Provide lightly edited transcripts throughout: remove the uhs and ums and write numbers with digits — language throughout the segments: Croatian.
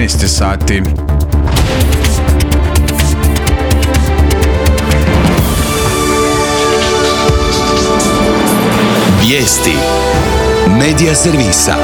12 sati. Vijesti Medija servisa.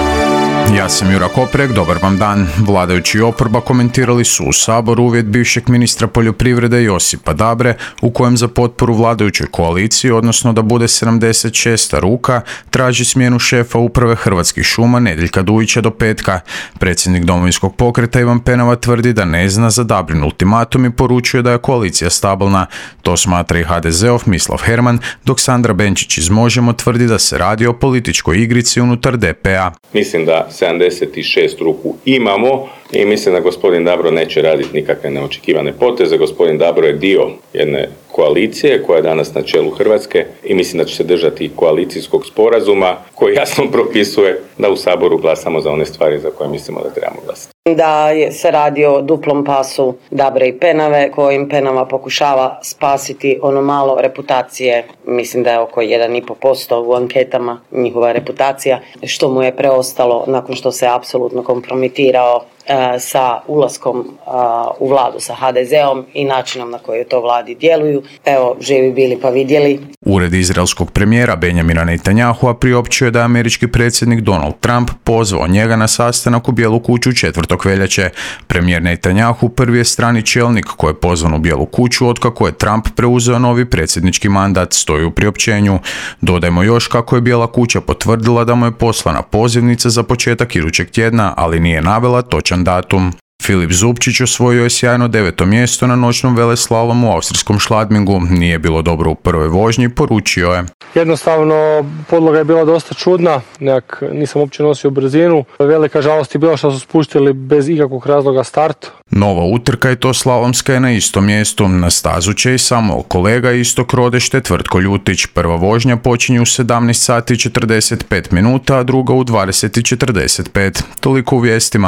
Ja sam Jura Koprek, dobar vam dan. Vladajući i oporba komentirali su u Saboru uvjet bivšeg ministra poljoprivrede Josipa Dabre u kojem za potporu vladajućoj koaliciji, odnosno da bude 76. ruka, traži smjenu šefa uprave Hrvatskih šuma Nedjeljka Dujića do petka. Predsjednik Domovinskog pokreta Ivan Penava tvrdi da ne zna za Dabrin ultimatum i poručuje da je koalicija stabilna. To smatra i HDZ-ov Mislav Herman, dok Sandra Benčić iz Možemo tvrdi da se radi o političkoj igrici unutar DP-a. Mislim da 76 ruku imamo i mislim da gospodin Dabro neće raditi nikakve neočekivane poteze. Gospodin Dabro je dio jedne koalicije koja je danas na čelu Hrvatske i mislim da će se držati koalicijskog sporazuma koji jasno propisuje da u Saboru glasamo za one stvari za koje mislimo da trebamo glasati. Da se radi o duplom pasu Dabre i Penave kojim Penava pokušava spasiti ono malo reputacije, mislim da je oko 1,5% u anketama njihova reputacija, što mu je preostalo nakon što se apsolutno kompromitirao sa ulaskom u vladu sa HDZ-om i načinom na koji to vladi djeluju. Evo, živi bili pa vidjeli. Ured izraelskog premijera Benjamina Netanyahua priopćio da je američki predsjednik Donald Trump pozvao njega na sastanak u Bijelu kuću 4. veljače. Premijer Netanyahu prvi je strani čelnik koji je pozvan u Bijelu kuću otkako je Trump preuzeo novi predsjednički mandat, stoji u priopćenju. Dodajmo još kako je Bijela kuća potvrdila da mu je poslana pozivnica za početak idućeg tjedna, ali nije navela točan datum. Filip Zubčić osvojio je sjajno 9. mjesto na noćnom veleslalomu u austrijskom Schladmingu. Nije bilo dobro u prvoj vožnji, poručio je. Jednostavno, podloga je bila dosta čudna, nisam uopće nosio brzinu. Velika žalost je bila što su spuštili bez ikakvog razloga start. Nova utrka i to slalomska je na istom mjestu. Na stazu će i samo kolega Istok Rodeš te Tvrtko Ljutić. Prva vožnja počinje u 17 sati 45 minuta, a druga u 20:45. Toliko u vijestima.